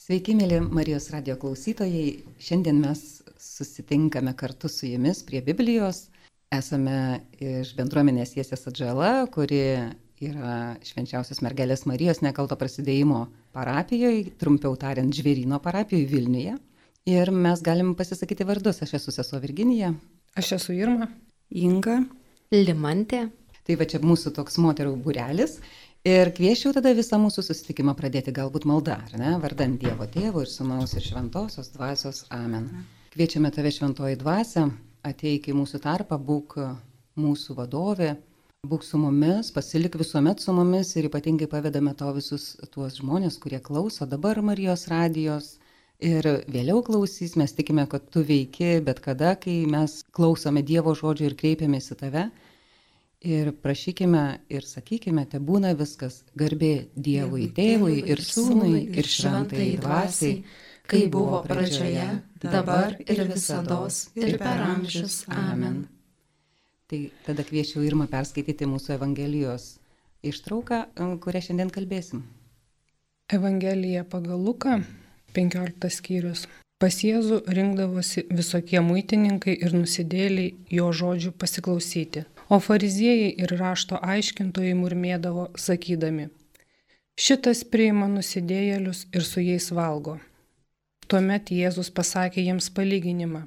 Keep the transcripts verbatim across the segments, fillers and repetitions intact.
Sveiki, mėly Marijos radijo klausytojai. Šiandien mes susitinkame kartu su jumis prie Biblijos. Esame iš bendruomenės Jesės Atžala, kuri yra Švenčiausios mergelės Marijos nekalto prasidėjimo parapijoje, trumpiau tariant, Žvėryno parapijoje Vilniuje. Ir mes galim pasisakyti vardus. Aš esu sesuo Virginija. Aš esu Irma. Inga. Limantė. Tai va čia mūsų toks moterų būrelis. Ir kvieščiau tada visą mūsų susitikimą pradėti galbūt malda, ar ne? Vardant Dievo Tėvo ir Sūnaus ir Šventosios Dvasios. Amen. Kviečiame tave, Šventoji Dvasia, ateik į mūsų tarpą, būk mūsų vadovė, būk su mumis, pasilik visuomet su mumis ir ypatingai pavedame tau visus tuos žmonės, kurie klauso dabar Marijos radijos ir vėliau klausys. Mes tikime, kad tu veiki bet kada, kai mes klausome Dievo žodžio ir kreipiamės į tave. Ir prašykime ir sakykime, te būna viskas garbė Dievui, Tėvui ir Sūnui ir Šventai Dvasiai, kai buvo pradžioje, dabar ir visados ir per amžius. Amen. Tai tada kviečiu Irmą perskaityti mūsų Evangelijos ištrauką, kurią šiandien kalbėsim. Evangelija pagal Luką, penkioliktas skyrius. Pas Jėzų rinkdavosi visokie muitininkai ir nusidėliai jo žodžių pasiklausyti. O fariziejai ir rašto aiškintojai murmėdavo, sakydami: šitas priima nusidėjėlius ir su jais valgo. Tuomet Jėzus pasakė jiems palyginimą: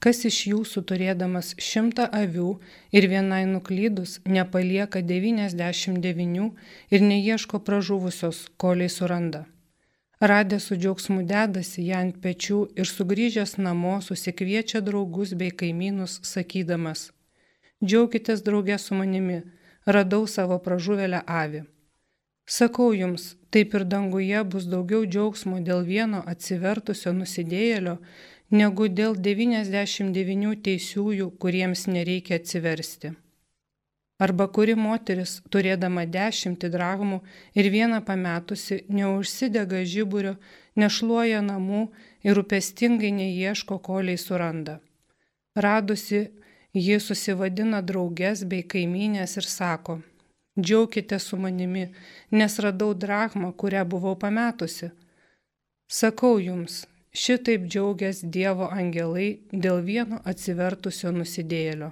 kas iš jūsų turėdamas šimtą avių ir vienai nuklydus nepalieka devyniasdešimt devynių ir neieško pražuvusios, kolei suranda. Radęs su džiaugsmu dedasi ją ant pečių ir sugrįžęs namo susikviečia draugus bei kaimynus, sakydamas: džiaukitės drauge su manimi, radau savo pražuvėlę avį. Sakau jums, taip ir danguje bus daugiau džiaugsmo dėl vieno atsivertusio nusidėjėlio, negu dėl devyniasdešimt devynių teisiųjų, kuriems nereikia atsiversti. Arba kuri moteris, turėdama dešimtį drachmų ir vieną pametusi, neužsidega žiburio, nešluoja namų ir rūpestingai neieško, kolei suranda. Radusi, ji susivadina drauges bei kaimynės ir sako: džiaukite su manimi, nes radau drachmą, kurią buvau pametusi. Sakau jums, šitaip džiaugias Dievo angelai dėl vieno atsivertusio nusidėjėlio.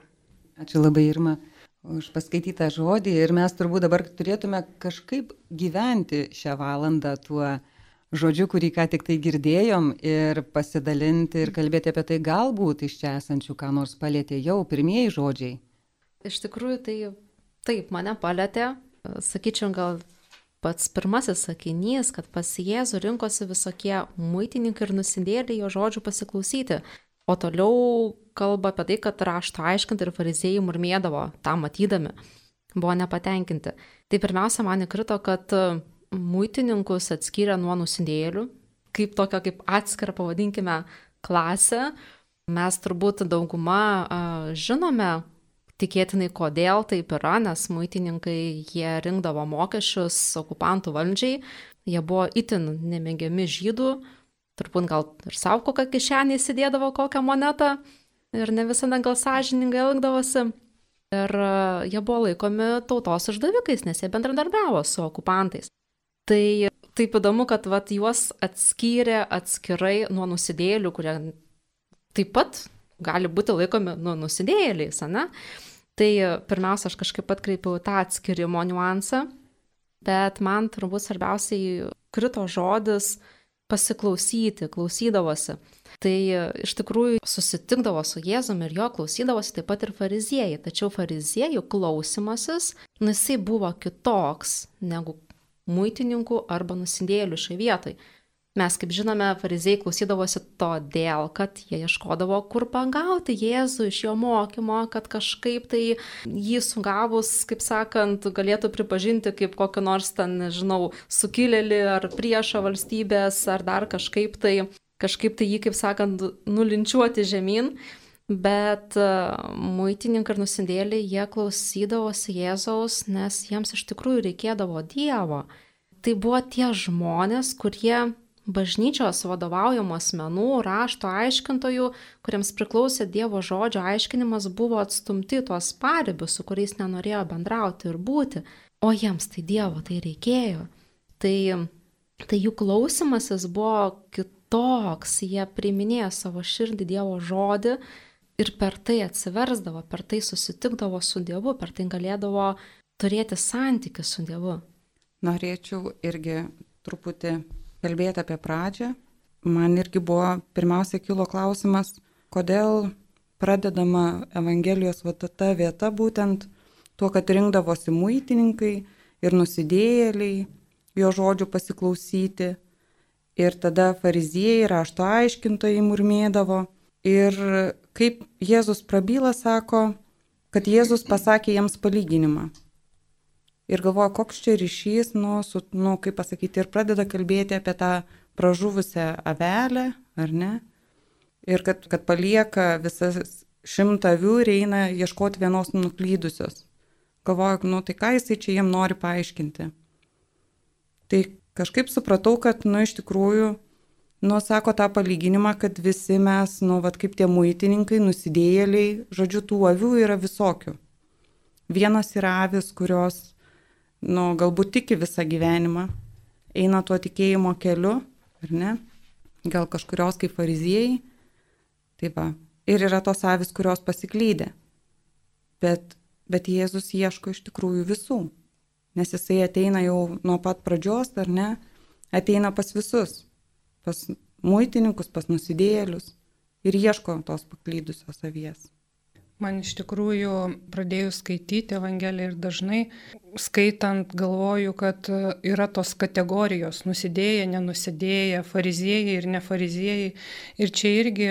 Ačiū labai, Irma, už paskaitytą žodį. Ir mes turbūt dabar turėtume kažkaip gyventi šią valandą tuo žodžiu, kurį ką tik tai girdėjom, ir pasidalinti ir kalbėti apie tai, galbūt iš čia esančių ką nors palėtė jau pirmieji žodžiai. Iš tikrųjų, tai taip mane palėtė. Sakyčiau, gal pats pirmasis sakinys, kad pas Jėzų rinkosi visokie muitininkai ir nusidėliai jo žodžių pasiklausyti. O toliau kalba apie tai, kad rašto aiškintojai ir fariziejai murmėdavo, tą matydami, buvo nepatenkinti. Tai pirmiausia, man įkrito, kad muitininkus atskyrė nuo nusidėjėlių, kaip tokią, kaip atskirą, pavadinkime, klasę. Mes turbūt dauguma a, žinome, tikėtinai kodėl taip yra, nes muitininkai jie rinkdavo mokesčius okupantų valdžiai, jie buvo itin nemėgiami žydų, turbūt gal ir savo kokią kišenį įsidėdavo kokią monetą ir ne visada gal sąžiningai elgdavosi. Ir a, jie buvo laikomi tautos išdavikais, nes jie bendradarbiavo su okupantais. Tai taip įdomu, kad vat, juos atskyrė atskirai nuo nusidėjėlių, kurie taip pat gali būti laikomi nu, nusidėjėliais, ane? Tai pirmiausia, aš kažkaip atkreipiau tą atskirimo niuansą, bet man turbūt svarbiausiai krito žodis pasiklausyti, klausydavosi. Tai iš tikrųjų susitikdavo su Jėzumi ir jo klausydavosi taip pat ir fariziejai, tačiau fariziejų klausimasis, nu, jisai buvo kitoks negu muitininkų arba nusidėjėlių šioje vietoje. Mes, kaip žinome, fariziejai klausydavosi todėl, kad jie ieškodavo, kur pagauti Jėzų iš jo mokymo, kad kažkaip tai jį sugavus, kaip sakant, galėtų pripažinti kaip kokį nors ten, nežinau, sukilėlį ar priešą valstybės, ar dar kažkaip tai, kažkaip tai jį, kaip sakant, nulinčiuoti žemyn. Bet muitininkai ir nusidėliai, jie klausydavosi Jėzaus, nes jiems iš tikrųjų reikėdavo Dievo. Tai buvo tie žmonės, kurie bažnyčios vadovaujamų asmenų, rašto aiškintojų, kuriems priklausė Dievo žodžio aiškinimas, buvo atstumti tuos paribius, su kuriais nenorėjo bendrauti ir būti. O jiems tai Dievo tai reikėjo. Tai tai jų klausimasis buvo kitoks, jie priiminėjo savo širdį Dievo žodį ir per tai atsiversdavo, per tai susitikdavo su Dievu, per tai galėdavo turėti santykį su Dievu. Norėčiau irgi truputį kalbėti apie pradžią. Man irgi buvo pirmiausia kilo klausimas, kodėl pradedama Evangelijos va ta vieta būtent tuo, kad rinkdavosi muitininkai ir nusidėjėliai jo žodžių pasiklausyti. Ir tada fariziejai, rašto aiškintojai murmėdavo. Ir kaip Jėzus prabyla, sako, kad Jėzus pasakė jiems palyginimą. Ir galvoja, koks čia ryšys, nu, su, nu, kaip pasakyti, ir pradeda kalbėti apie tą pražuvusią avelę, ar ne? Ir kad, kad palieka visas šimtą avių ir eina ieškoti vienos nuklydusios. Galvoju, nu tai ką jisai čia jiem nori paaiškinti. Tai kažkaip supratau, kad, nu iš tikrųjų, nu sako tą palyginimą, kad visi mes, nu vat kaip tie muitininkai, nusidėjėliai, žodžiu, tų avių yra visokių. Vienas yra avis, kurios, nu galbūt tiki visą gyvenimą, eina tuo tikėjimo keliu, ar ne? Gal kažkurios kaip fariziejai. Tai va. Ir yra tos avis, kurios pasiklydė. Bet, bet Jėzus ieško iš tikrųjų visų. Nes jisai ateina jau nuo pat pradžios, ar ne? Ateina pas visus. Pas muitininkus, pas nusidėjėlius. Ir ieško tos paklydusios avies. Man iš tikrųjų pradėjus skaityti Evangeliją ir dažnai skaitant galvoju, kad yra tos kategorijos nusidėję, nenusidėję, fariziejai ir nefariziejai. Ir čia irgi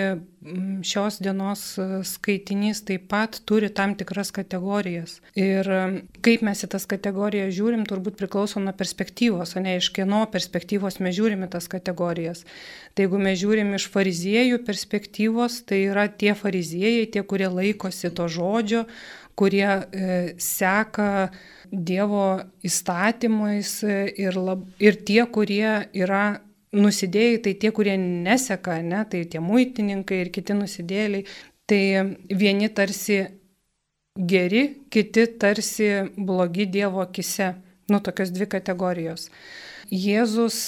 šios dienos skaitinys taip pat turi tam tikras kategorijas. Ir kaip mes į tas kategorijas žiūrim, turbūt priklauso nuo perspektyvos, o ne iš kieno perspektyvos mes žiūrim į tas kategorijas. Tai jeigu mes žiūrim iš fariziejų perspektyvos, tai yra tie fariziejai, tie, kurie laikosi to žodžio, kurie e, seka Dievo įstatymais ir, lab, ir tie, kurie yra nusidėjai, tai tie, kurie neseka, ne, tai tie muitininkai ir kiti nusidėliai, tai vieni tarsi geri, kiti tarsi blogi Dievo akise. Nu, tokios dvi kategorijos. Jėzus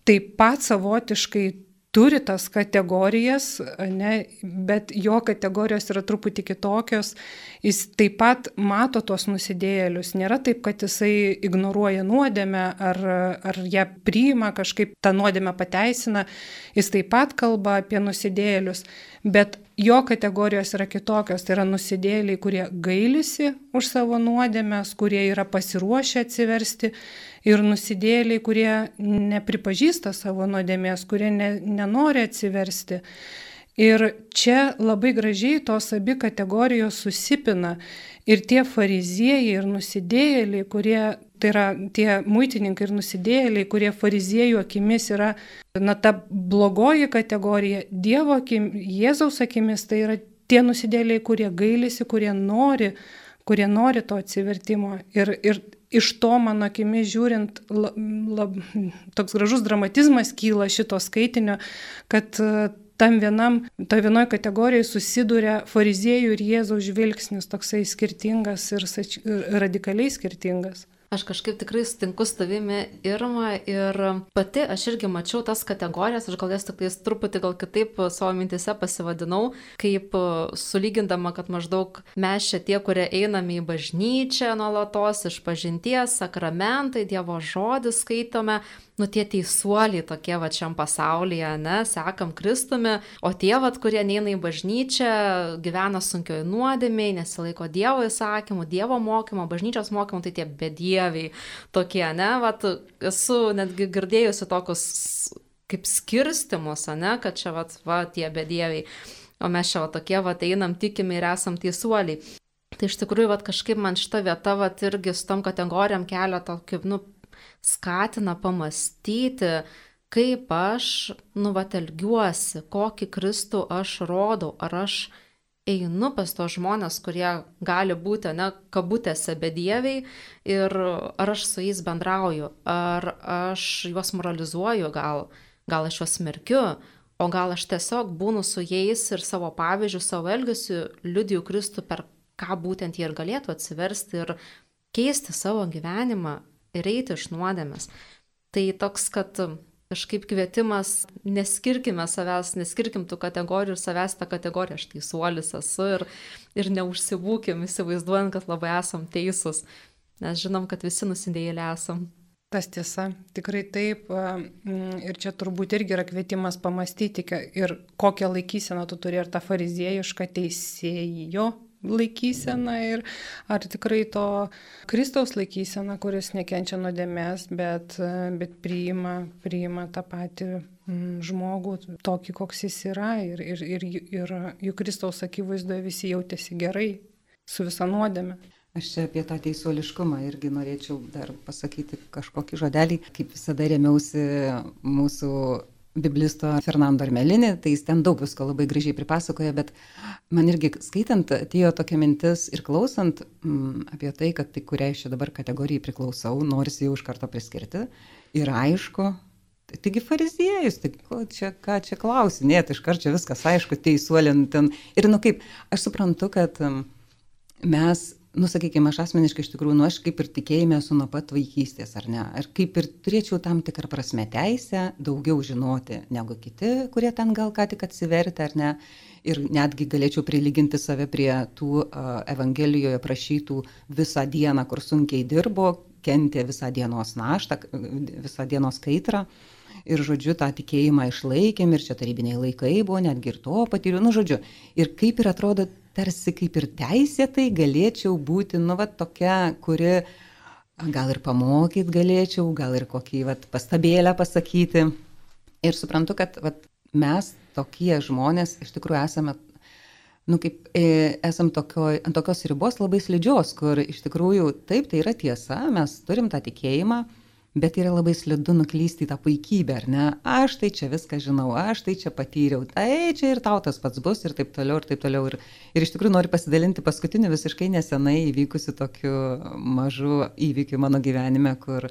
taip pat savotiškai turi tas kategorijas, ne, bet jo kategorijos yra truputį kitokios. Jis taip pat mato tos nusidėjėlius. Nėra taip, kad jisai ignoruoja nuodėmę ar, ar ją priima, kažkaip tą nuodėmę pateisina. Jis taip pat kalba apie nusidėjėlius, bet jo kategorijos yra kitokios. Tai yra nusidėjėliai, kurie gailisi už savo nuodėmės, kurie yra pasiruošę atsiversti. Ir nusidėjėliai, kurie nepripažįsta savo nuodėmės, kurie ne, nenori atsiversti. Ir čia labai gražiai tos abi kategorijos susipina. Ir tie fariziejai ir nusidėjėliai, kurie, tai yra tie muitininkai ir nusidėjėliai, kurie fariziejų akimis yra, na, ta blogoji kategorija, Dievo akim, Jėzaus akimis, tai yra tie nusidėjėliai, kurie gailisi, kurie nori, kurie nori to atsivertimo. Ir, ir iš to, mano akimis žiūrint, lab, lab, toks gražus dramatizmas kyla šito skaitinio, kad tam vienam, to vienoj kategorijai susiduria fariziejų ir Jėzaus žvilgsnis, toksai skirtingas ir, ir radikaliai skirtingas. Aš kažkaip tikrai sutinku su tavimi, Irma, ir pati aš irgi mačiau tas kategorijas, aš gal jas tik tais truputį gal kitaip savo mintise pasivadinau, kaip sulygindama, kad maždaug mes čia tie, kurie einame į bažnyčią nuolatos, išpažinties, sakramentai, Dievo žodį skaitome, nu tie teisuoliai tokie va šiam pasaulyje, ne, sekam Kristumi, o tie, va, kurie neina į bažnyčią, gyvena sunkioj nuodėmėj, nesilaiko Dievo įsakymų, Dievo mokymo, bažnyčios mokymo, tai tie bedieviai tokie, ne, va, esu netgi girdėjusi tokius kaip skirstimus, ne, kad čia va, va tie bedieviai, o mes čia va tokie, va, einam, tikime ir esam teisuoliai. Tai iš tikrųjų, va, kažkaip man šita vieta, va, irgi su tom kategorijom kelia tokį, nu, skatina pamastyti, kaip aš, nu, vat, elgiuosi, kokį Kristų aš rodau, ar aš einu pas tos žmonės, kurie gali būti, ne, kabutėse bedieviai, ir ar aš su jais bendrauju, ar aš juos moralizuoju, gal, gal aš juos smerkiu, o gal aš tiesiog būnu su jais ir savo pavyzdžių, savo elgesiu liudiju Kristų, per ką būtent jie ir galėtų atsiversti ir keisti savo gyvenimą ir eiti iš nuodėmės. Tai toks, kad kažkaip kvietimas, neskirkime savęs, neskirkim tų kategorijų ir savęs tą kategoriją, aš teisuolis esu ir, ir neužsibūkim, įsivaizduojant, kad labai esam teisūs, nes žinom, kad visi nusidėjėliai esam. Tas tiesa, tikrai taip. Ir čia turbūt irgi yra kvietimas pamastyti ir kokią laikyseną tu turi, ar tą fariziejišką teisėjo laikyseną, ir ar tikrai to Kristaus laikyseną, kuris nekenčia nuodėmės, bet, bet priima, priima tą patį žmogų, tokį, koks jis yra. Ir, ir, ir, ir juk Kristaus akivaizdoje visi jautėsi gerai su visa nuodėme. Aš čia apie tą teisuoliškumą irgi norėčiau dar pasakyti kažkokį žodelį. Kaip visada rėmiausi mūsų biblisto Fernando Armelinį, tai jis ten daug visko labai gražiai pripasakoja, bet man irgi skaitant atėjo tokia mintis ir klausant m, apie tai, kad tai kuriai čia dabar kategorijai priklausau, norisi jau iš karto priskirti. Ir aišku, tai, taigi fariziejus, tai ko čia, ką čia klausinėti, iš karto čia viskas aišku, teisuolint ten. Ir nu kaip, aš suprantu, kad m, mes nu, sakykime, aš asmeniškai iš tikrųjų, nu, aš kaip ir tikėjime esu nuo pat vaikystės, ar ne? Ir kaip ir turėčiau tam tikrą prasme teisę daugiau žinoti negu kiti, kurie ten gal ką tik atsivertė, ar ne? Ir netgi galėčiau prilyginti save prie tų uh, Evangelijoje prašytų visą dieną, kur sunkiai dirbo, kentė visą dienos naštą, visą dienos kaitrą. Ir, žodžiu, tą tikėjimą išlaikėm, ir čia tarybiniai laikai buvo, netgi ir to patyriau, nu, žodžiu. Ir kaip ir atrodo, tarsi kaip ir teisėtai galėčiau būti, nu, va, tokia, kuri gal ir pamokyt galėčiau, gal ir kokį, va, pastabėlę pasakyti. Ir suprantu, kad, va, mes tokie žmonės iš tikrųjų esame, nu, kaip, e, esam tokio, ant tokios ribos labai slidžios, kur iš tikrųjų taip, tai yra tiesa, mes turim tą tikėjimą, bet yra labai slidu nuklysti į tą puikybę, ar ne? Aš tai čia viską žinau, aš tai čia patyriau, tai čia ir tau tas pats bus, ir taip toliau, ir taip toliau. Ir, ir iš tikrųjų noriu pasidalinti paskutiniu visiškai nesenai įvykusiu tokiu mažu įvykiu mano gyvenime, kur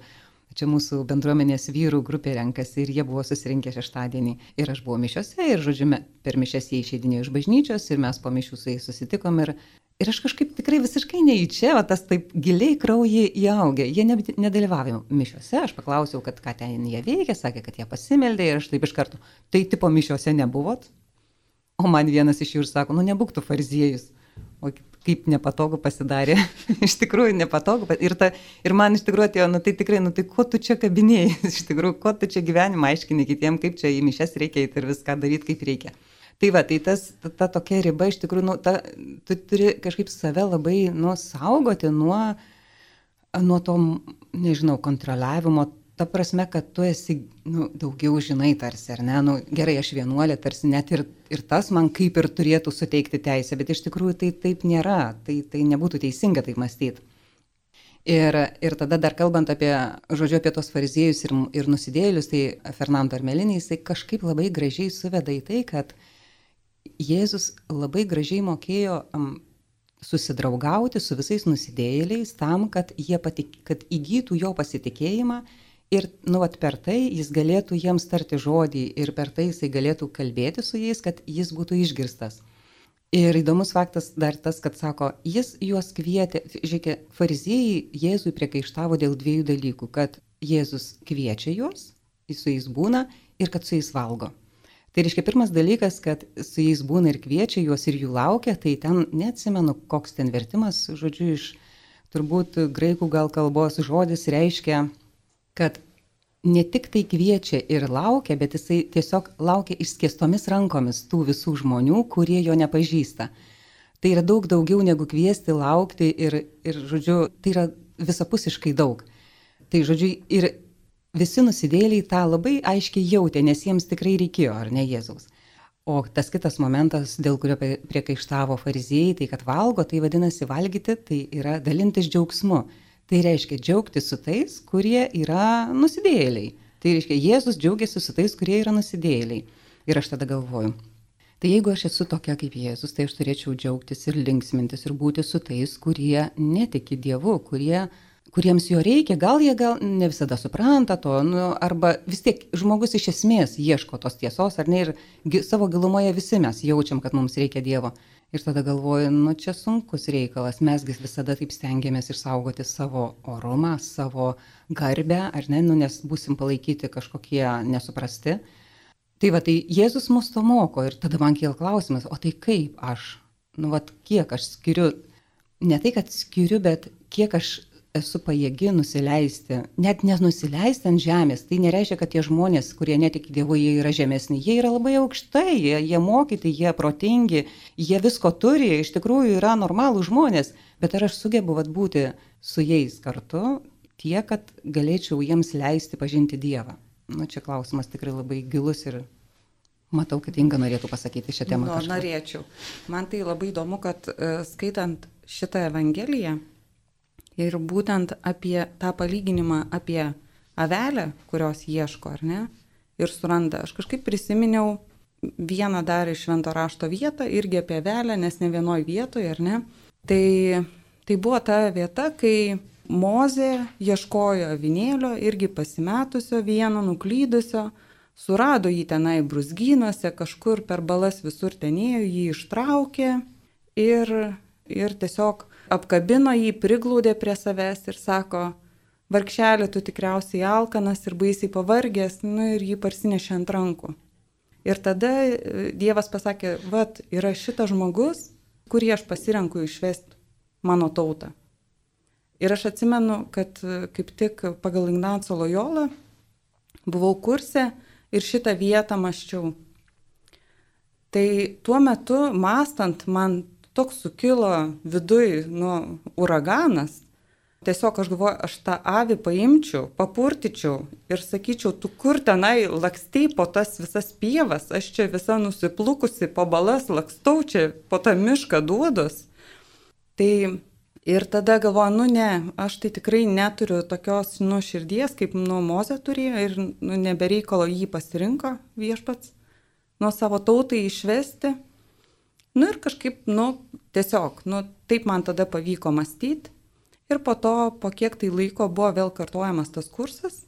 čia mūsų bendruomenės vyrų grupė renkasi ir jie buvo susirinkę šeštadienį. Ir aš buvau mišiose ir, žodžiu, per mišias jie išeidinėjo iš bažnyčios ir mes po mišių su jais susitikom ir Ir aš kažkaip tikrai visiškai neįčia, o tas taip giliai kraujį įaugė. Jie ne, nedalyvavo mišiuose, aš paklausiau, kad ką ten jie veikia, sakė, kad jie pasimeldė ir aš taip iš karto, tai tipo mišiuose nebuvot? O man vienas iš jų ir sako, nu nebūk tu fariziejus. O kaip nepatogu pasidarė, iš tikrųjų nepatogu. Ir, ta, ir man iš tikrųjų atėjo, nu tai tikrai, nu tai ko tu čia kabinėjai, iš tikrųjų, ko tu čia gyvenimą aiškini kitiem, kaip čia į mišias reikia ir viską daryti, kaip reikia. Tai va, tai tas, ta, ta tokia riba, iš tikrųjų, nu, ta, tu turi kažkaip save labai, nu, saugoti nuo, nuo to, nežinau, kontroliavimo, ta prasme, kad tu esi, nu, daugiau žinai tarsi, ar ne, nu, gerai, aš vienuolė, tarsi net ir, ir tas man kaip ir turėtų suteikti teisę, bet iš tikrųjų tai taip nėra, tai, tai nebūtų teisinga taip mąstyti. Ir, ir tada dar kalbant apie, žodžiu, apie tos fariziejus ir, ir nusidėjėlius, tai Fernando Armelinį, jisai kažkaip labai gražiai suveda į tai, kad Jėzus labai gražiai mokėjo um, susidraugauti su visais nusidėjėliais tam, kad jie patik, kad įgytų jo pasitikėjimą ir nu, vat, per tai jis galėtų jiems tarti žodį ir per tai jisai galėtų kalbėti su jais, kad jis būtų išgirstas. Ir įdomus faktas dar tas, kad sako, jis juos kvietė, žiūrėkit, fariziejai Jėzui priekaištavo dėl dviejų dalykų, kad Jėzus kviečia juos, jis su jais būna ir kad su jais valgo. Tai reiškia, pirmas dalykas, kad su jais būna ir kviečia juos ir jų laukia, tai ten neatsimenu, koks ten vertimas, žodžiu, iš turbūt graikų gal kalbos žodis reiškia, kad ne tik tai kviečia ir laukia, bet jisai tiesiog laukia išskėstomis rankomis tų visų žmonių, kurie jo nepažįsta. Tai yra daug daugiau negu kviesti, laukti ir, ir žodžiu, tai yra visapusiškai daug. Tai žodžiu, ir visi nusidėjėliai tą labai aiškiai jautė, nes jiems tikrai reikėjo, ar ne Jėzaus. O tas kitas momentas, dėl kurio priekaištavo fariziejai, tai kad valgo, tai vadinasi valgyti, tai yra dalintis džiaugsmu. Tai reiškia džiaugtis su tais, kurie yra nusidėjėliai. Tai reiškia, Jėzus džiaugiasi su tais, kurie yra nusidėjėliai. Ir aš tada galvoju, tai jeigu aš esu tokia kaip Jėzus, tai aš turėčiau džiaugtis ir linksmintis ir būti su tais, kurie netiki Dievu, kurie kuriems jo reikia, gal jie gal ne visada supranta to, nu, arba vis tiek žmogus iš esmės ieško tos tiesos, ar ne, ir gi, savo gilumoje visi mes jaučiam, kad mums reikia Dievo. Ir tada galvoju, nu čia sunkus reikalas, mesgi visada taip stengiamės išsaugoti savo orumą, savo garbę, ar ne, nu, nes būsim palaikyti kažkokie nesuprasti. Tai va, tai Jėzus mus to moko ir tada man kyla klausimas, o tai kaip aš, nu, va, kiek aš skiriu, ne tai, kad skiriu, bet kiek aš esu pajėgi nusileisti, net nenusileisti ant žemės. Tai nereiškia, kad tie žmonės, kurie netiki Dievu, jie yra žemesni. Jie yra labai aukštai, jie, jie mokyti, jie protingi, jie visko turi, iš tikrųjų yra normalūs žmonės. Bet ar aš sugebu vat, būti su jais kartu tiek, kad galėčiau jiems leisti pažinti Dievą? Nu, čia klausimas tikrai labai gilus ir matau, kad Inga norėtų pasakyti šią temą. Nu, norėčiau. Man tai labai įdomu, kad uh, skaitant šitą Evangeliją, ir būtent apie tą palyginimą apie avelę, kurios ieško, ar ne, ir suranda. Aš kažkaip prisiminiau vieną dar iš Švento rašto vietą, irgi apie avelę, nes ne vienoj vietoje, ar ne. Tai, tai buvo ta vieta, kai Mozė ieškojo avinėlio, irgi pasimetusio vieno, nuklydusio, surado jį tenai brūzgynuose, kažkur per balas visur tenėjo, jį ištraukė ir, ir tiesiog apkabino jį, priglaudė prie savęs ir sako, vargšelė, tu tikriausiai alkanas ir baisiai pavargęs, nu ir jį parsinešė ant rankų. Ir tada Dievas pasakė, vat, yra šitas žmogus, kurį aš pasirenku išvesti mano tautą. Ir aš atsimenu, kad kaip tik pagal Ignaco Lojolą buvau kurse ir šitą vietą mąsčiau. Tai tuo metu mąstant man toks sukilo viduj, nu, uraganas. Tiesiog aš galvoju, aš tą avį paimčiau, papurtyčiau ir sakyčiau, tu kur tenai lakstei po tas visas pievas, aš čia visa nusiplukusi po balas lakstau čia po tą mišką duodos. Tai ir tada galvoju, nu ne, aš tai tikrai neturiu tokios, nu, širdies, kaip, nu, Mozė turėjo ir, nu, nebereikalo jį pasirinko viešpats, nuo savo tautai išvesti. Nu ir kažkaip, nu, tiesiog, nu, taip man tada pavyko mąstyti. Ir po to, po kiek tai laiko buvo vėl kartojamas tas kursas.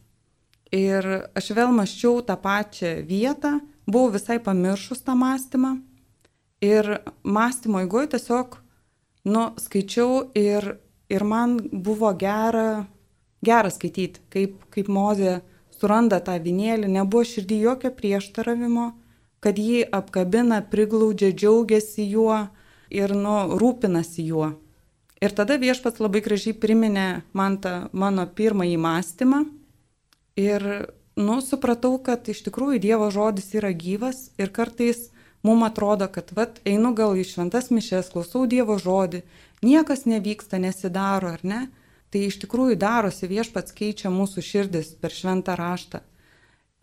Ir aš vėl mąsčiau tą pačią vietą, buvau visai pamiršus tą mąstymą. Ir mąstymo eigoje tiesiog, nu, skaičiau ir, ir man buvo gera, gera skaityti, kaip, kaip Mozė suranda tą avinėlį, nebuvo širdį jokio prieštaravimo, kad jį apkabina, priglaudžia, džiaugiasi juo ir, nu, rūpinasi juo. Ir tada viešpats labai gražiai priminė man tą mano pirmąjį mąstymą ir, nu, supratau, kad iš tikrųjų Dievo žodis yra gyvas ir kartais mums atrodo, kad, vat, einu gal į šventas mišes, klausau Dievo žodį, niekas nevyksta, nesidaro, ar ne? Tai iš tikrųjų darosi, viešpats keičia mūsų širdis per šventą raštą.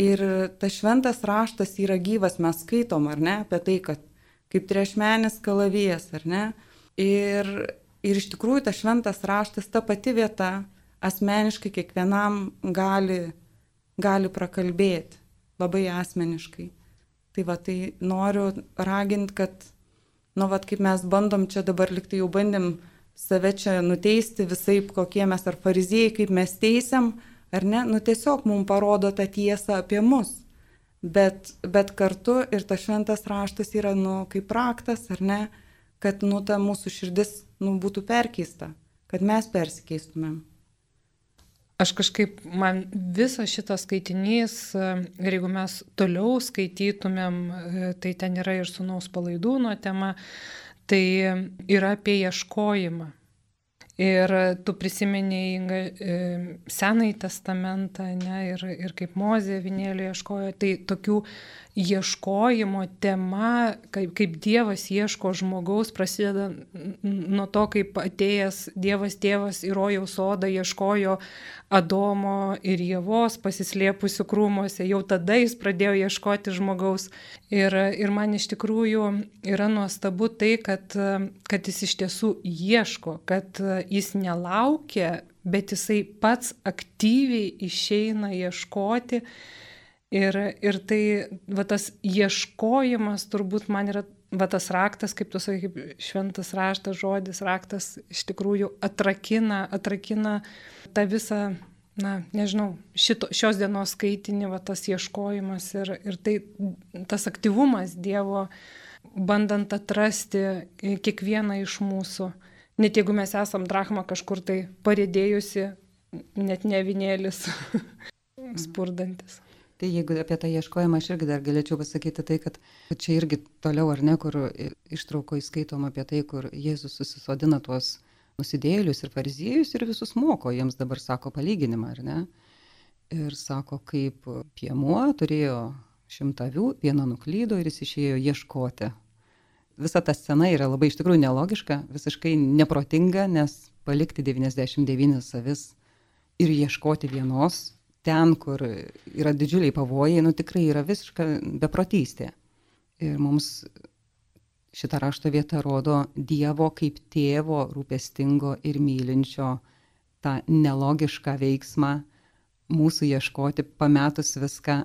Ir tas šventas raštas yra gyvas, mes skaitom, ar ne, apie tai, kad kaip trešmenis kalavijas, ar ne. Ir, ir iš tikrųjų tas šventas raštas, ta pati vieta, asmeniškai kiekvienam gali, gali prakalbėti, labai asmeniškai. Tai va, tai noriu raginti, kad, nu, va, kaip mes bandom čia dabar, liktai jau bandėm save čia nuteisti visaip, kokie mes ar fariziejai, kaip mes teisiam, ar ne, nu tiesiog mums parodo tą tiesą apie mus, bet, bet kartu ir tas šventas raštas yra, nu, kaip raktas, ar ne, kad, nu, ta mūsų širdis, nu, būtų perkeista, kad mes persikeistumėm. Aš kažkaip, man visas šitas skaitinys, ir jeigu mes toliau skaitytumėm, tai ten yra ir sūnaus palaidūno tema, tai yra apie ieškojimą. Ir tu prisiminiai Senąjį testamentą, ne, ir, ir kaip Mozė avinėlį ieškojo, tai tokių ieškojimo tema, kaip, kaip Dievas ieško žmogaus, prasideda nuo to, kaip atėjęs Dievas tėvas į rojaus sodą ieškojo Adomo ir Ievos pasislėpusių krūmuose, jau tada jis pradėjo ieškoti žmogaus. Ir, ir man iš tikrųjų yra nuostabu tai, kad, kad jis iš tiesų ieško, kad jis nelaukia, bet jisai pats aktyviai išeina ieškoti. Ir, ir tai, va, tas ieškojimas turbūt man yra, va, tas raktas, kaip tu sakai, kaip šventas raštas žodis, raktas iš tikrųjų atrakina, atrakina ta visa, na, nežinau, šito, šios dienos skaitinį, va, tas ieškojimas ir, ir tai, tas aktyvumas Dievo, bandant atrasti kiekvieną iš mūsų. Net jeigu mes esam drachma kažkur tai parėdėjusi, net ne avinėlis spurdantis. Tai jeigu apie tą ieškojimą aš irgi dar galėčiau pasakyti tai, kad čia irgi toliau ar ne, kur ištraukoje skaitom apie tai, kur Jėzus susisodina tuos nusidėjėlius ir fariziejus ir visus moko, jiems dabar sako palyginimą, ar ne? Ir sako, kaip piemuo turėjo šimtą avių, viena nuklydo ir jis išėjo ieškoti. Visa ta scena yra labai iš tikrųjų nelogiška, visiškai neprotinga, nes palikti devyniasdešimt devynias avis ir ieškoti vienos, ten, kur yra didžiuliai pavojai, nu tikrai yra visiška beprotystė. Ir mums šita rašto vieta rodo Dievo kaip tėvo rūpestingo ir mylinčio tą nelogišką veiksmą mūsų ieškoti, pametus viską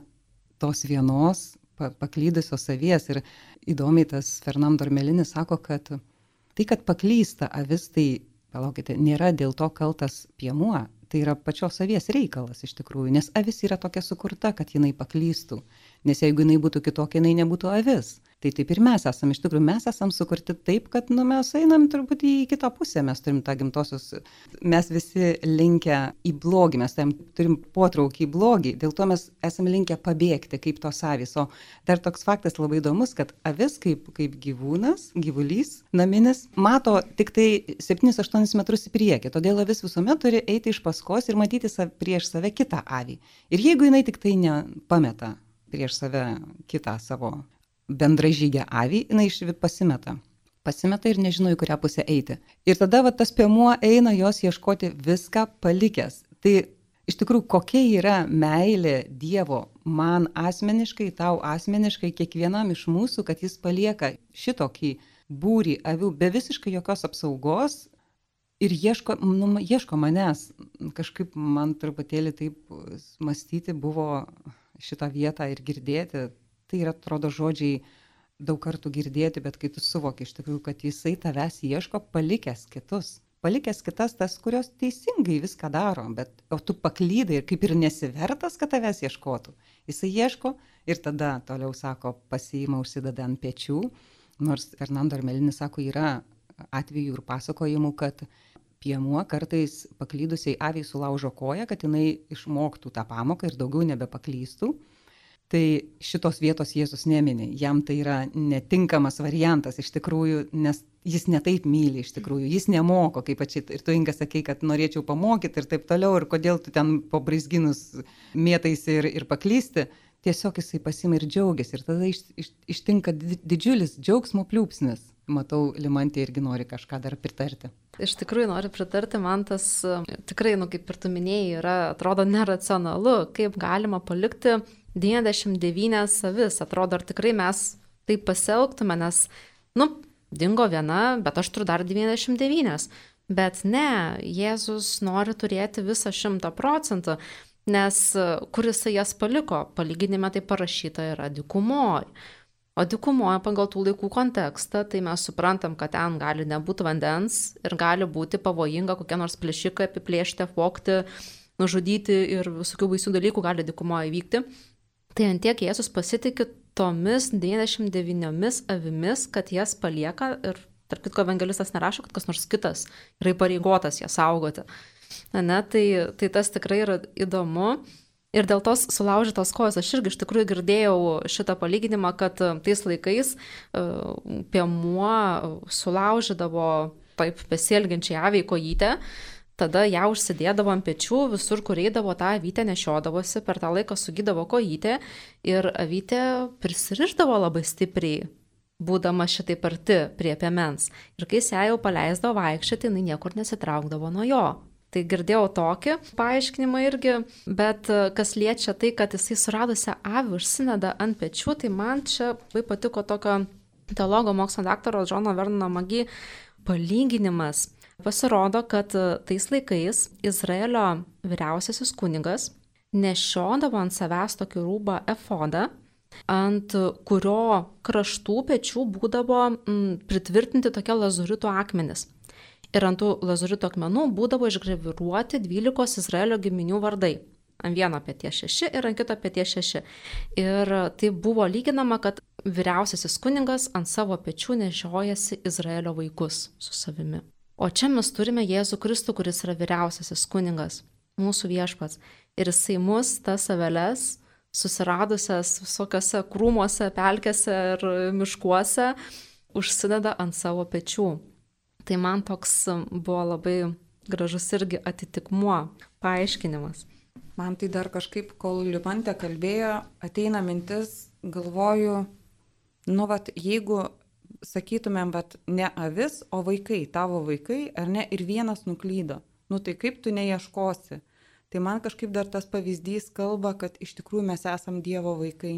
tos vienos, paklydusios avies. Ir įdomiai tas Fernando Armelinis sako, kad tai, kad paklysta avis, tai, palaukite, nėra dėl to kaltas piemuo. Tai yra pačios avies reikalas iš tikrųjų, nes avis yra tokia sukurta, kad jinai paklystų. Nes jeigu jinai būtų kitokia, jinai nebūtų avis. Tai taip ir mes esam, iš tikrųjų mes esam sukurti taip, kad nu, mes einam turbūt į kitą pusę, mes turim tą gimtosios, mes visi linkę į blogį, mes turim, turim potraukį į blogį, dėl to mes esame linkę pabėgti kaip tos avys. O dar toks faktas labai įdomus, kad avis kaip, kaip gyvūnas, gyvulys, naminis, mato tik tai septynis aštuonis metrus į priekį, todėl avis visuomet turi eiti iš paskos ir matyti sav, prieš save kitą avį. Ir jeigu jinai tik tai nepameta prieš save kitą savo bendražygę avį, jinai iš pasimeta. Pasimeta ir nežino, į kurią pusę eiti. Ir tada va, tas piemuo eina jos ieškoti viską palikęs. Tai iš tikrųjų, kokia yra meilė Dievo man asmeniškai, tau asmeniškai, kiekvienam iš mūsų, kad jis palieka šitokį būrį avių be visiškai jokios apsaugos ir ieško, nu, ieško manęs. Kažkaip man truputėlį taip mąstyti buvo šitą vietą ir girdėti. Tai yra, atrodo, žodžiai daug kartų girdėti, bet kai tu suvoki iš tikrųjų, kad jisai tavęs ieško palikęs kitus. Palikęs kitas tas, kurios teisingai viską daro, bet o tu paklydai ir kaip ir nesivertas, kad tavęs ieškotų. Jisai ieško ir tada toliau sako, pasiima, užsideda ant pečių. Nors Fernando Armelinis sako, yra atvejų ir pasakojimų, kad piemuo kartais paklydusiai aviai sulaužo koją, kad jinai išmoktų tą pamoką ir daugiau nebepaklystų. Tai šitos vietos Jėzus nemini, jam tai yra netinkamas variantas iš tikrųjų, nes jis netaip myli iš tikrųjų, jis nemoko, kaip pačiai ir tu, Inga, sakei, kad norėčiau pamokyti ir taip toliau, ir kodėl tu ten po braizginus mėtaisi ir, ir paklysti, tiesiog jisai pasima ir džiaugiasi ir tada iš, iš, ištinka didžiulis džiaugsmo pliūpsnis. Matau, Limantė irgi nori kažką dar pritarti. Iš tikrųjų noriu pritarti, man tas tikrai, nu, kaip ir tu minėjai, yra, atrodo neracionalu, kaip galima palikti devyniasdešimt devynias avis. Atrodo, ar tikrai mes taip pasielgtume, nes, nu, dingo viena, bet aš turiu dar devyniasdešimt devynias. Bet ne, Jėzus nori turėti visą šimtą procentų, nes kur jisai jas paliko, palyginime tai parašyta yra dykumoje. O dykumoje pagal tų laikų kontekstą, tai mes suprantam, kad ten gali nebūti vandens ir gali būti pavojinga kokie nors plėšikai apiplėšti, apvogti, nužudyti ir visokių baisių dalykų gali dykumoje įvykti. Tai antiek Jėzus pasitikė tomis devyniasdešimt devyniomis avimis, kad jas palieka ir, tarp kitko, evangelistas nerašo, kad kas nors kitas yra įpareigotas jas saugoti. Ne, tai, tai tas tikrai yra įdomu. Ir dėl tos sulaužytos kojos aš irgi iš tikrųjų girdėjau šitą palyginimą, kad tais laikais piemuo sulaužydavo taip besielgiančiai aviai kojytę, tada ją užsidėdavo ant pečių, visur, kur eidavo, tą avytę nešiodavosi, per tą laiką sugydavo kojytę ir avytė prisirišdavo labai stipriai, būdama šitai arti prie piemens. Ir kai jis ją jau paleisdavo vaikščioti, jinai niekur nesitraukdavo nuo jo. Tai girdėjau tokį paaiškinimą irgi, bet kas liečia tai, kad jisai suradusią avį užsineda ant pečių, tai man čia labai patiko tokio teologo mokslo daktaro Džono Vernono Magi palyginimas. Pasirodo, kad tais laikais Izraelio vyriausiasis kunigas nešiodavo ant savęs tokį rūbą efodą, ant kurio kraštų pečių būdavo m, pritvirtinti tokie lazuritų akmenys. Ir ant tų lazurito akmenų būdavo išgraviruoti dvylikos Izraelio giminių vardai. Ant vieno peties šeši ir ant kito peties šeši. Ir tai buvo lyginama, kad vyriausiasis kunigas ant savo pečių nešiojasi Izraelio vaikus su savimi. O čia mes turime Jėzų Kristų, kuris yra vyriausiasis kunigas, mūsų viešpats. Ir jisai mus, tas aveles, susiradusias visokiose krūmuose, pelkėse ir miškuose, užsideda ant savo pečių. Tai man toks buvo labai gražus irgi atitikmuo, paaiškinimas. Man tai dar kažkaip, kol Liupantė kalbėjo, ateina mintis, galvoju, nu, vat, jeigu sakytumėm, vat, ne avis, o vaikai, tavo vaikai, ar ne, ir vienas nuklydo, nu tai kaip tu neieškosi? Tai man kažkaip dar tas pavyzdys kalba, kad iš tikrųjų mes esam Dievo vaikai.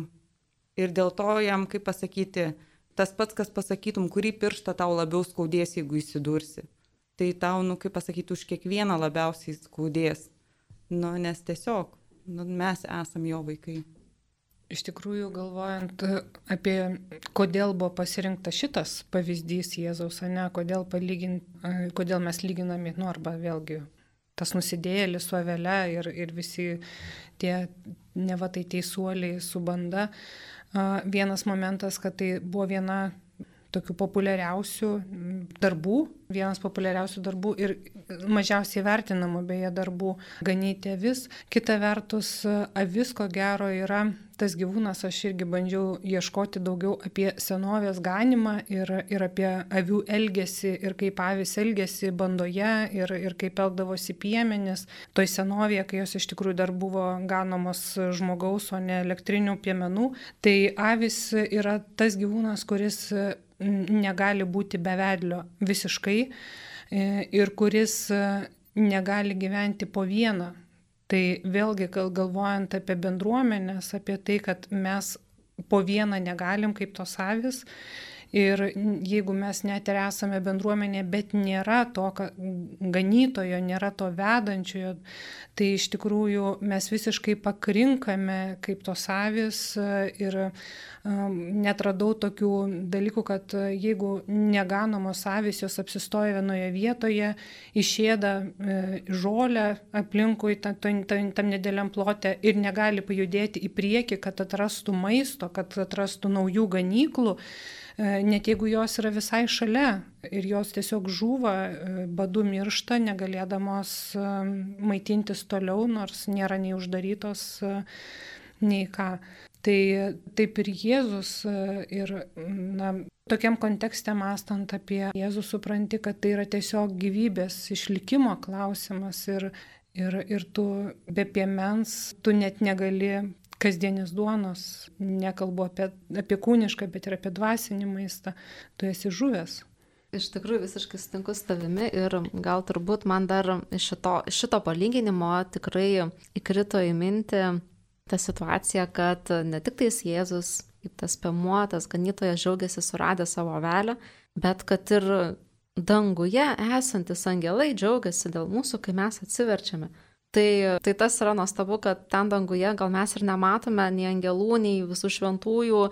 Ir dėl to jam, kaip pasakyti, tas pats, kas pasakytum, kurį pirštą tau labiau skaudės, jeigu įsidursi. Tai tau, nu, kaip pasakyti, už kiekvieną labiausiai skaudės. Nu, nes tiesiog, nu, mes esam jo vaikai. Iš tikrųjų, galvojant apie, kodėl buvo pasirinktas šitas pavyzdys Jėzaus, ne, kodėl, palygin, kodėl mes lyginami, nu, arba vėlgi tas nusidėjėlis su avele ir, ir visi tie neva tai teisuoliai su banda. Vienas momentas, kad tai buvo viena tokių populiariausių darbų, vienas populiariausių darbų ir mažiausiai vertinamų beje darbų ganyti avis. Kita vertus, avis ko gero yra tas gyvūnas, aš irgi bandžiau ieškoti daugiau apie senovės ganimą ir, ir apie avių elgesį ir kaip avis elgėsi bandoje ir, ir kaip elgdavosi piemenis. Toj senovėje, kai jos iš tikrųjų dar buvo ganomos žmogaus, o ne elektrinių piemenų, tai avis yra tas gyvūnas, kuris negali būti be vedlio visiškai ir kuris negali gyventi po vieną. Tai vėlgi galvojant apie bendruomenės, apie tai, kad mes po vieną negalim kaip tos avis. Ir jeigu mes net ir esame bendruomenė, bet nėra to ganytojo, nėra to vedančiojo, tai iš tikrųjų mes visiškai pakrinkame kaip tos avis ir um, net radau tokių dalykų, kad jeigu neganomos avis, jos apsistoja vienoje vietoje, išėda e, žolę aplinkui tam, tam, tam nedėliam plote ir negali pajudėti į priekį, kad atrastų maisto, kad atrastų naujų ganyklų, net jeigu jos yra visai šalia ir jos tiesiog žūva, badu miršta, negalėdamos maitintis toliau, nors nėra nei uždarytos, nei ką. Tai taip ir Jėzus ir na, tokiam kontekste mąstant apie Jėzų supranti, kad tai yra tiesiog gyvybės išlikimo klausimas ir, ir, ir tu be piemens, tu net negali kasdienės duonos, nekalbu apie, apie kūnišką, bet ir apie dvasinį maistą, tu esi žuvęs. Iš tikrųjų visiškai sutinku su tavimi ir gal turbūt man dar iš šito, šito palyginimo tikrai įkrito į mintį ta situacija, kad ne tik tais Jėzus, kaip tas piemuo, tas ganytojas džiaugiasi suradę savo avelę, bet kad ir danguje esantis angelai džiaugiasi dėl mūsų, kai mes atsiverčiame. Tai, tai tas yra nuostabu, kad ten danguje gal mes ir nematome nei angelų, nei visų šventųjų,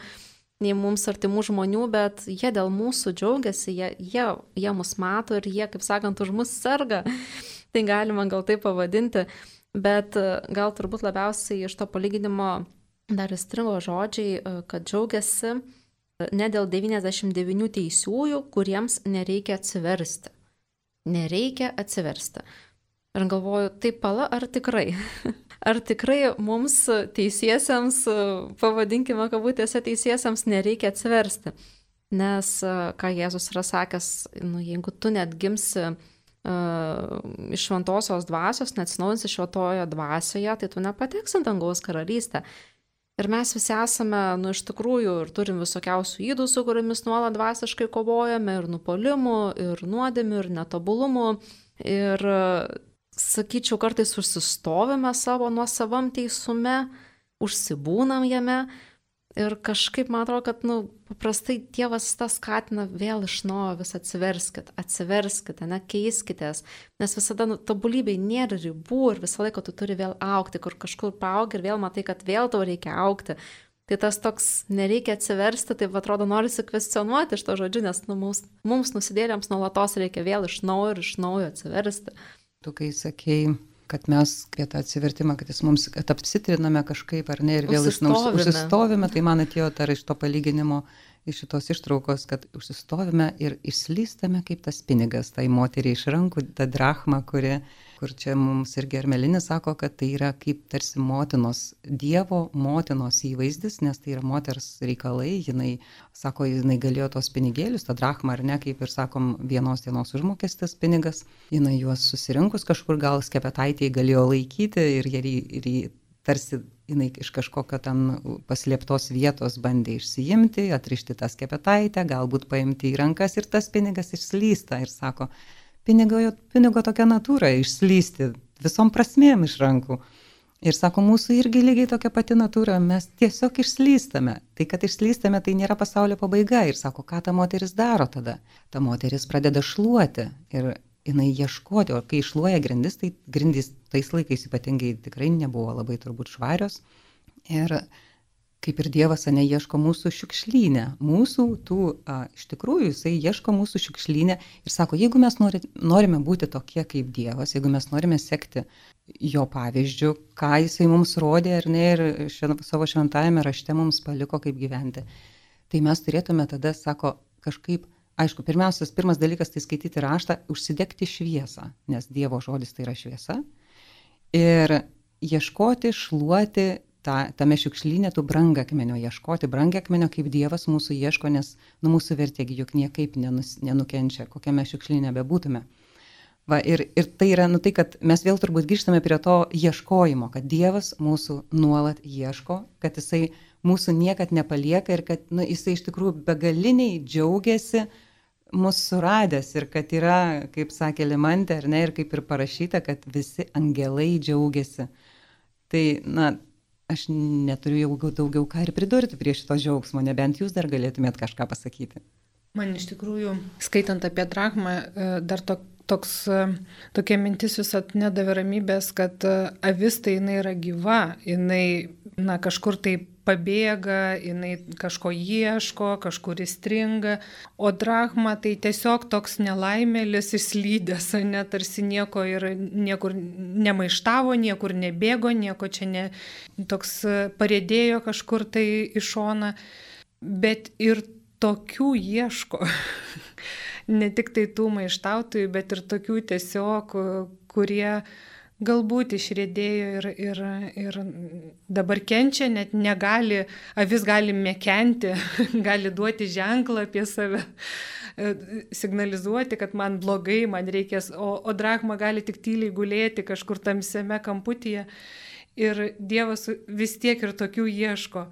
nei mums artimų žmonių, bet jie dėl mūsų džiaugiasi, jie, jie, jie mus mato ir jie, kaip sakant, už mus serga. Tai galima gal taip pavadinti, bet gal turbūt labiausiai iš to palyginimo dar įstrigo žodžiai, kad džiaugiasi ne dėl devyniasdešimt devynių teisiųjų, kuriems nereikia atsiversti. Nereikia atsiversti. Ir galvoju, tai pala, ar tikrai? Ar tikrai mums teisiesiems, pavadinkime kabutėse teisiesiems, nereikia atsiversti? Nes, ką Jėzus yra sakęs, nu, jeigu tu net gimsi uh, iš šventosios dvasios, neatsinaujinsi šventojoje dvasioje, tai tu nepateksi dangaus karalystę. Ir mes visi esame, nu, iš tikrųjų, ir turim visokiausių ydų, su kuriamis nuolat dvasiškai kovojame, ir nupolimų, ir nuodėmių, ir netobulumų. Ir sakyčiau, kartais užsistovime savo nuosavam teisume, užsibūnam jame ir kažkaip man atrodo, kad nu, paprastai Dievas tas skatina vėl iš naujo vis atsiverskit, atsiverskite, ne, keiskitės, nes visada nu, tobulybei nėra ribų ir visą laiką tu turi vėl aukti, kur kažkur paaugi ir vėl matai, kad vėl tau reikia aukti. Tai tas toks nereikia atsiversti, taip atrodo norisi kvestionuoti iš to žodžiu, nes nu, mums, mums nusidėlėms nuolatos reikia vėl iš naujo ir iš naujo atsiversti. Tu kai sakei, kad mes apie tą atsivertimą, kad jis mums, kad apsitriname kažkaip ar ne ir vėl iš naujo užsistovime, tai man atėjo dar iš to palyginimo, iš šitos ištraukos, kad užsistovime ir išslystame kaip tas pinigas, tai moteriai iš rankų, ta drachma, kuri, kur čia mums irgi Ermelinis sako, kad tai yra kaip tarsi motinos, Dievo motinos įvaizdis, nes tai yra moters reikalai, jinai, sako, jinai galėjo tos pinigėlius, ta drachma ar ne, kaip ir sakom, vienos dienos užmokestis pinigas, jinai juos susirinkus kažkur gal skepetaitėje galėjo laikyti ir jie, ir jie tarsi jinai iš kažkokio ten paslėptos vietos bandė išsiimti, atrišti tą skepetaitę, galbūt paimti į rankas ir tas pinigas išslysta ir sako, pinigo, pinigo tokia natūra išslysti visom prasmėm iš rankų. Ir sako, mūsų irgi lygiai tokia pati natūra, mes tiesiog išslystame. Tai, kad išslystame, tai nėra pasaulio pabaiga. Ir sako, ką ta moteris daro tada? Ta moteris pradeda šluoti ir jinai ieškoti, o kai šluoja grindis, tai grindys tais laikais ypatingai tikrai nebuvo labai turbūt švarios. Ir kaip ir Dievas ane ieško mūsų šiukšlynę, mūsų tų, a, iš tikrųjų, jisai ieško mūsų šiukšlynę ir sako, jeigu mes nori, norime būti tokie kaip Dievas, jeigu mes norime sekti jo pavyzdžių, ką jisai mums rodė ar ne ir šven, savo šventajame rašte mums paliko kaip gyventi, tai mes turėtume tada, sako, kažkaip, aišku, pirmiausias, pirmas dalykas tai skaityti raštą, užsidegti šviesą, nes Dievo žodis tai yra šviesa ir ieškoti, šluoti, Ta, tame šiukšlyne tų brangakmenio ieškoti, brangakmenio kaip Dievas mūsų ieško, nes nu, mūsų vertėgi juk niekaip nenus, nenukenčia, kokiame šiukšlyne bebūtume. Va, ir, ir tai yra, nu tai, kad mes vėl turbūt grįžtame prie to ieškojimo, kad Dievas mūsų nuolat ieško, kad jisai mūsų niekad nepalieka ir kad nu, jisai iš tikrųjų begaliniai džiaugiasi mūsų suradęs ir kad yra, kaip sakė Limantė, ar ne, ir kaip ir parašyta, kad visi angelai džiaugiasi. Tai, na, aš neturiu jau daugiau ką ir pridurti prie šito džiaugsmo, nebent jūs dar galėtumėt kažką pasakyti. Man iš tikrųjų, skaitant apie drachmą, dar to, toks, tokia mintis visat nedavė ramybės, kad avis tai jinai yra gyva, jinai na, kažkur tai pabėga, jinai kažko ieško, kažkur įstringa, o drachma tai tiesiog toks nelaimėlis išslydęs, ne, tarsi nieko ir niekur nemaištavo, niekur nebėgo, nieko čia ne, toks parėdėjo kažkur tai į šoną, bet ir tokių ieško, ne tik tai tų maištautojų, bet ir tokių tiesiog, kurie galbūt išrėdėjo ir, ir, ir dabar kenčia, net negali, avis gali mekenti, gali duoti ženklą apie save, signalizuoti, kad man blogai, man reikės, o, o drachma gali tik tyliai gulėti kažkur tamsiame kamputyje ir Dievas vis tiek ir tokių ieško.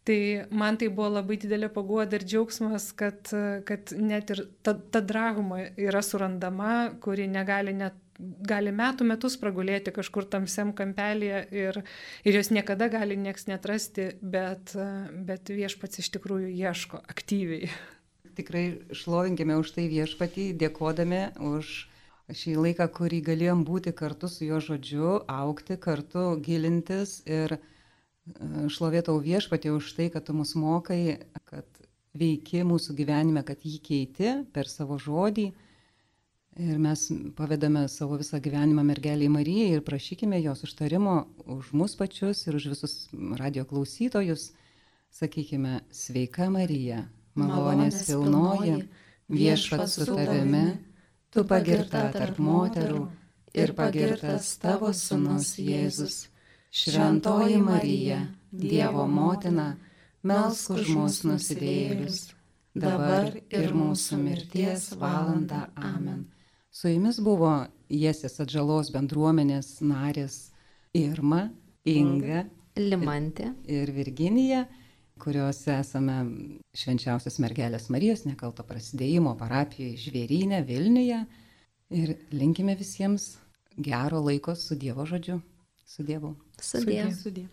Tai man tai buvo labai didelė paguoda ir džiaugsmas, kad, kad net ir ta, ta drachma yra surandama, kuri negali net gali metų metus pragulėti kažkur tamsiam kampelėje ir, ir jos niekada gali nieks netrasti, bet, bet viešpats iš tikrųjų ieško aktyviai. Tikrai šlovinkime už tai viešpatį, dėkodami už šį laiką, kurį galėjom būti kartu su jo žodžiu, augti kartu, gilintis ir šlovėtau viešpatį už tai, kad tu mus mokai, kad veiki mūsų gyvenime, kad jį keiti per savo žodį. Ir mes pavedame savo visą gyvenimą mergeliai Marijai ir prašykime jos užtarimo už mus pačius ir už visus radio klausytojus. Sakykime, sveika Marija, malonės pilnoji, viešpats su tavimi, tu pagirta tarp moterų ir pagirtas tavo sūnus Jėzus. Šventoji Marija, Dievo motina, melsk už mus nusidėjėlius, dabar ir mūsų mirties valanda. Amen. Su jumis buvo Jesės atžalos bendruomenės narės Irma, Inga, Limantė ir Virginija, kurios esame Švenčiausios mergelės Marijos nekalto prasidėjimo parapijoje Žvėryne, Vilniuje. Ir linkime visiems gero laiko su Dievo žodžiu. Su Dievu. Sudie. Sudie.